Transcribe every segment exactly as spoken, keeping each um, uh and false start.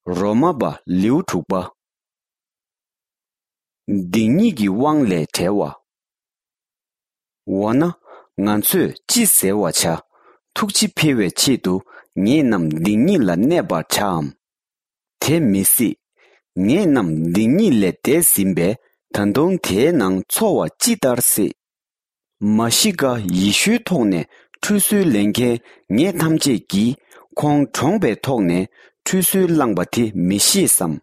རོ་མ་པ་ལེའུ་དྲུག་པ། སྡིག་ཉེས་ཀྱི་དབང་ལས་བྲལ་བ། འོ་ན། ང་ཚོས་ཅི་ཟེར་བར་བྱ། ཐུགས་རྗེ་འཕེལ་བའི་ཆེད་དུ་ངེད་རྣམས་སྡིག་ཉེས་ལ་གནས་པར་བྱའམ། དེ་མི་སྲིད། ངེད་རྣམས་སྡིག་ཉེས་ལས་འདས་ཟིན་པས་ད་དུང་དེའི་ནང་འཚོ་བ་ཅི་ལྟར་སྲིད། མ་ཤི་ཀ་ཡེ་ཤུའི་ཐོག་ནས་ཁྲུས་གསོལ་ལེན་མཁན་ངེད་ཐམས་ཅད་ཀྱིས་ཁོང་གྲོངས་པའི་ཐོག་ནས་ཁྲུས་གསོལ་བླངས་པ་དེ་མི་ཤེས་སམ།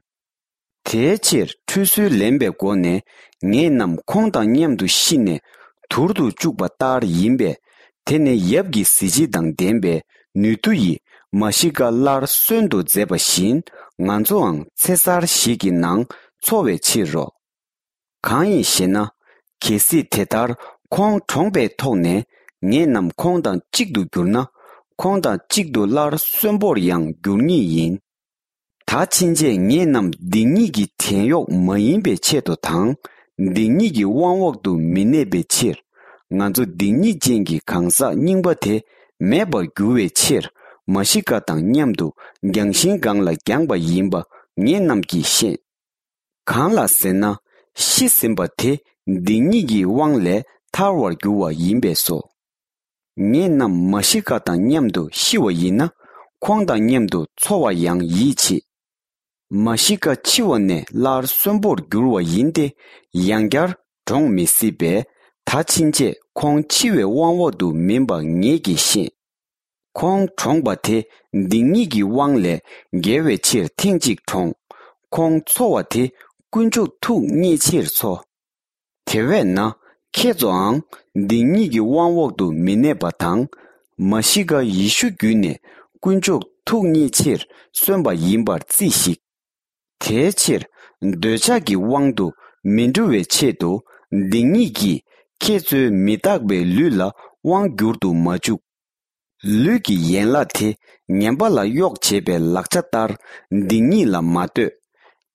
དེའི་ཕྱིར་ཁྲུས་གསོལ་ལེན་པའི་སྒོ་ནས་ངེད་རྣམས་ཁོང་དང་མཉམ་དུ་ཤི་ནས་དུར་དུ་བཅུག་པ་ལྟར་ཡིན་པས། དེ་ནི་ཡབ་ཀྱི་གཟི་བརྗིད་དང་ལྡན་པའི་ནུས་མཐུ་ཡིས་མ་ཤི་ཀ་སླར་གསོན་དུ་མཛད་པ་བཞིན་ང་ཚོའང་ཚེ་གསར་ཞིག་གི་ནང་འཚོ་བའི་ཕྱིར་རོ། གང་ཡིན་ཞེ་ན། གལ་སྲིད་དེ་ལྟར་ཁོང་གྲོངས་པའི་ཐོག་ནས་ངེད་རྣམས་ཁོང་དང་གཅིག་ཏུ་གྱུར་ན། ཁོང་དང་གཅིག་ཏུ་སླར་གསོན་པོར་ཡང་འགྱུར་ངེས་ཡིན། ད་ཕྱིན་ཆད་ངེད་རྣམས་སྡིག་ཉེས་ཀྱི་བྲན་གཡོག་མ་ཡིན་པའི་ཆེད་དུ་དང་། སྡིག་ཉེས་ཀྱི་དབང་འོག་ཏུ་མི་གནས་པའི་ཕྱིར། ང་ཚོ་སྡིག་ཉེས་ཅན་གྱི་གང་ཟག་རྙིང་པ་དེ་མེད་པར་འགྱུར་བའི་ཕྱིར། མ་ཤི་ཀ་དང་མཉམ་དུ་བརྒྱངས་ཤིང་སྒང་ལ་བརྒྱངས་པ་ཡིན་པ་ངེད་རྣམས་ཀྱིས་ཤེས། གང་ལ་ཟེར་ན། ཤི་ཟིན་པ་དེ་སྡིག་ཉེས་ཀྱི་དབང་ལས་ཐར་བར་འགྱུར་བ་ཡིན་པས་སོ། ངེད་རྣམས་མ་ཤི་ཀ་དང་མཉམ་དུ་ཤི་བ་ཡིན་ན། ཁོང་དང་མཉམ་དུ་འཚོ་བར་ཡང་ཡིད་ཆེས། མ་ཤི་ཀ་འཆི་བ་ནས་སླར་གསོན་པོར་འགྱུར་བ་ཡིན་ཏེ། ཡང་བསྐྱར་གྲོངས་མི་སྲིད་པས། ད་ཕྱིན་ཆད་ཁོང་འཆི་བའི་དབང་འོག་ཏུ་མིན་པ་ངེད་ཀྱིས་ཤེས། ཁོང་གྲོངས་པ་དེ་སྡིག་ཉེས་ཀྱི་དབང་ལས་རྒྱལ་བའི་ཕྱིར་ཐེངས་གཅིག་གྲོངས། ཁོང་འཚོ་བ་དེ་དཀོན་མཆོག་ཐུགས་མཉེས་ཕྱིར་འཚོ། དེ་བས་ན། ཁྱེད་ཚོའང་སྡིག་ཉེས་ཀྱི་དབང་འོག་ཏུ་མི་གནས་པ་དང་། མ་ཤི་ཀ་ཡེ་ཤུ་བརྒྱུད་ནས་དཀོན་མཆོག་ཐུགས་མཉེས་ཕྱིར་གསོན་པ་ཡིན་པར་རྩིས་ཤིག། དེའི་ཕྱིར། འདོད་ཆགས་ཀྱི་དབང་དུ་མི་འགྲོ་བའི་ཆེད་དུ། སྡིག་ཉེས་ཀྱིས་ཁྱེད་ཚོའི་མི་རྟག་པའི་ལུས་ལ་དབང་བསྒྱུར་དུ་མ་བཅུག། ལུས་ཀྱི་ཡན་ལག་དེ་ངན་པ་ལ་གཡོག་བྱེད་པའི་ལག་ཆ་ལྟར་སྡིག་ཉེས་ལ་མ་ལྟོས།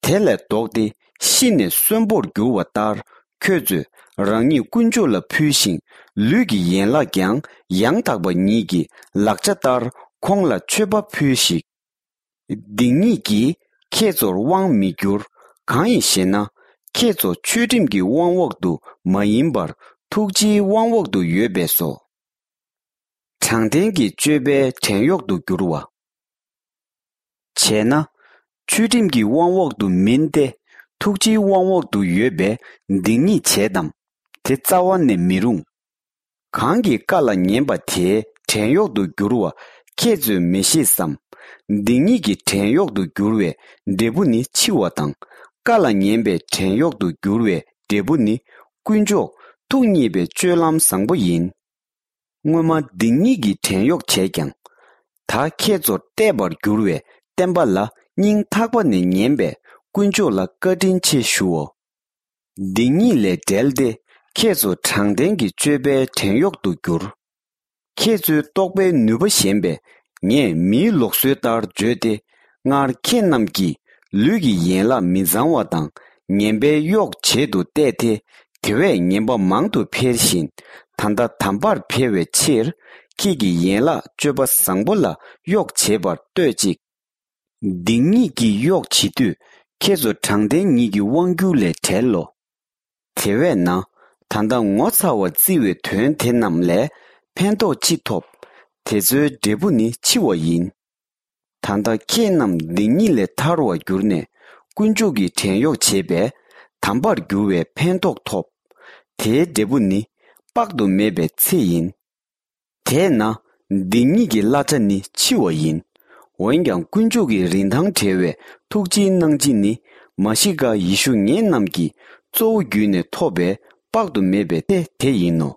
དེ་ལས་ལྡོག་སྟེ་ཤི་ནས་གསོན་པོར་འགྱུར་བ་ལྟར། ཁྱོད་ཚོས་རང་ཉིད་དཀོན་མཆོག་ལ་ཕུལ་ཞིང་། ལུས་ཀྱི་ཡན་ལག་ཀྱང་ཡང་དག་པ་ཉིད་ཀྱི་ལག་ཆ་ལྟར་ཁོང་ལ་མཆོད་པ་ཕུལ་ཞིག། སྡིག་ཉེས་ཀྱིས་ཁྱེད་ཚོར་དབང་མི་བསྒྱུར། གང་ཡིན་ཞེ་ན། ཁྱེད་ཚོ་ཆོས་ཁྲིམས་ཀྱི་དབང་འོག་ཏུ་མ་ཡིན་པར་ཐུགས་རྗེའི་དབང་འོག་ཏུ་ཡོད་པས་སོ། དྲང་བདེན་གྱི་སྤྱོད་པའི་བྲན་གཡོག་ཏུ་བསྒྱུར་བ། བྱས་ན། ཆོས་ཁྲིམས་ཀྱི་དབང་འོག་ཏུ་མིན་ཏེ། ཐུགས་རྗེའི་དབང་འོག་ཏུ་ཡོད་པས་སྡིག་ཉེས་བྱེད་དམ། དེ་རྩ་བ་ནས་མི་རུང་། གང་གིས་བཀའ་ལ་ཉན་པ་དེའི་བྲན་གཡོག་ཏུ་བསྒྱུར་བ་ཁྱེད་ཚོས་མི་ཤེས་སམ། སྡིག་ཉེས་ཀྱི་བྲན་གཡོག་ཏུ་བསྒྱུར་བའི་འབྲས་བུ་ནི་འཆི་བ་དང་། བཀའ་ལ་ཉན་པའི་བྲན་གཡོག་ཏུ་བསྒྱུར་བའི་འབྲས་བུ་ནི་དཀོན་མཆོག་ཐུགས་མཉེས་པའི་སྤྱོད་ལམ་བཟང་པོ་ཡིན། སྔོན་མ་སྡིག་ཉེས་ཀྱི་བྲན་གཡོག་བྱས་ཀྱང་། ད་ཁྱེད་ཚོར་གཏད་པར་འགྱུར་བའི་བསྟན་པ་ལ་སྙིང་ཐག་པ་ནས་ཉན་པས་དཀོན་མཆོག་ལ་བཀའ་དྲིན་ཆེ་ཞུའོ། སྡིག་ཉེས་ལས་བསྒྲལ་ཏེ་ཁྱེད་ཚོ་དྲང་བདེན་གྱི་སྤྱོད་པའི་བྲན་གཡོག་ཏུ་གྱུར། ཁྱེད་ཚོའི་རྟོགས་པའི་ནུས་པ་ཞན་པས་ངས་མིའི་ལུགས་སྲོལ་ལྟར་བརྗོད་དེ། སྔར་ཁྱེད་རྣམས་ཀྱིས་ལུས་ཀྱི་ཡན་ལག་མི་གཙང་བ་དང་ངན་པའི་གཡོག་བྱེད་དུ་གཏད་དེ། དེ་བས་ངན་པ་མང་དུ་འཕེལ་བཞིན། ད་ལྟ་དམ་པར་འཕེལ་བའི་ཕྱིར། ཁྱེད་ཀྱི་ཡན་ལག་སྤྱོད་པ་བཟང་པོ་ལ་གཡོག་བྱེད་པར་ལྟོས་ཅིག། སྡིག་ཉེས་ཀྱི་གཡོག་བྱེད་དུས་ཁྱེད་ཚོ་དྲང་བདེན་ཉིད་ཀྱི་དབང་སྒྱུར་ལས་བྲལ་ལོ། དེ་བས་ན། ད་ལྟ་ངོ་ཚ་བར་བརྩི་བའི་དོན་དེ་རྣམས་ལས་ཕན་ཐོགས་ཅི་ཐོབ། དེ་ཚོའི་འབྲས་བུ་ནི་འཆི་བ་ཡིན། ད་ལྟ་ཁྱེད་རྣམས་སྡིག་ཉེས་ལས་ཐར་བར་གྱུར་ནས་དཀོན་མཆོག་གི་བྲན་གཡོག་བྱས་པས་དམ་པར་འགྱུར་བའི་ཕན་ཐོགས་ཐོབ། དེའི་འབྲས་བུ་ནི་དཔག་ཏུ་མེད་པའི་ཚེ་ཡིན། དེས་ན་སྡིག་ཉེས་ཀྱི་གླ་ཆ་ནི་འཆི་བ་ཡིན། འོན་ཀྱང་དཀོན་མཆོག་གི་རིན་ཐང་བྲལ་བའི་ཐུགས་རྗེའི་གནང་སྦྱིན་ནི་མ་ཤི་ཀ་ཡེ་ཤུ་ངེད་རྣམས་ཀྱིས་གཙོ་བོ་བརྒྱུད་ནས་ཐོབ་པའི་དཔག་ཏུ་མེད་པའི་ཚེ་དེ་ཡིན་ནོ།